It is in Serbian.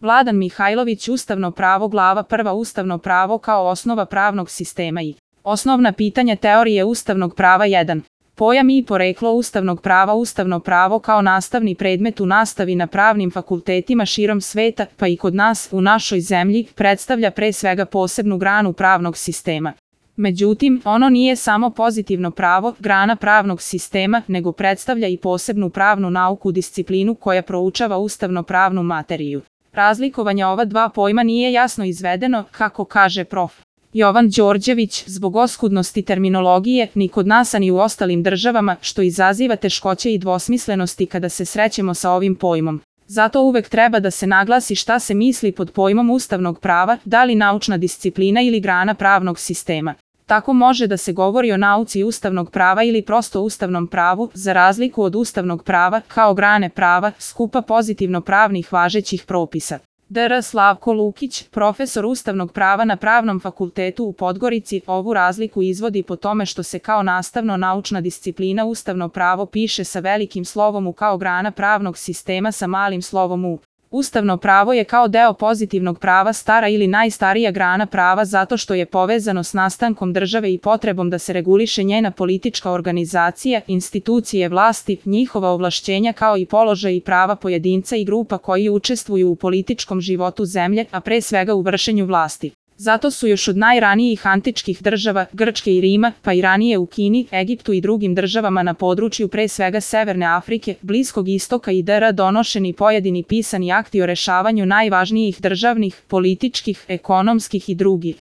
Vladan Mihajlović, Ustavno pravo, glava 1, Ustavno pravo kao osnova pravnog sistema i osnovna pitanja teorije ustavnog prava 1. Pojam i poreklo ustavnog prava. Ustavno pravo kao nastavni predmet u nastavi na pravnim fakultetima širom sveta, pa i kod nas, u našoj zemlji, predstavlja pre svega posebnu granu pravnog sistema. Međutim, ono nije samo pozitivno pravo, grana pravnog sistema, nego predstavlja i posebnu pravnu nauku, disciplinu koja proučava ustavno-pravnu materiju. Razlikovanje ova dva pojma nije jasno izvedeno, kako kaže prof. Jovan Đorđević, zbog oskudnosti terminologije, ni kod nas a ni u ostalim državama, što izaziva teškoće i dvosmislenosti kada se srećemo sa ovim pojmom. Zato uvek treba da se naglasi šta se misli pod pojmom ustavnog prava, da li naučna disciplina ili grana pravnog sistema. Tako može da se govori o nauci ustavnog prava ili prosto ustavnom pravu, za razliku od ustavnog prava, kao grane prava, skupa pozitivno pravnih važećih propisa. Dr. Slavko Lukić, profesor ustavnog prava na Pravnom fakultetu u Podgorici, ovu razliku izvodi po tome što se kao nastavno-naučna disciplina ustavno pravo piše sa velikim slovom U kao grana pravnog sistema sa malim slovom U. Ustavno pravo je kao deo pozitivnog prava stara ili najstarija grana prava zato što je povezano s nastankom države i potrebom da se reguliše njena politička organizacija, institucije vlasti, njihova ovlašćenja kao i položaj i prava pojedinca i grupa koji učestvuju u političkom životu zemlje, a pre svega u vršenju vlasti. Zato su još od najranijih antičkih država, Grčke i Rima, pa i ranije u Kini, Egiptu i drugim državama na području pre svega Severne Afrike, Bliskog istoka i dr. donošeni pojedini pisani akti o rešavanju najvažnijih državnih, političkih, ekonomskih i drugih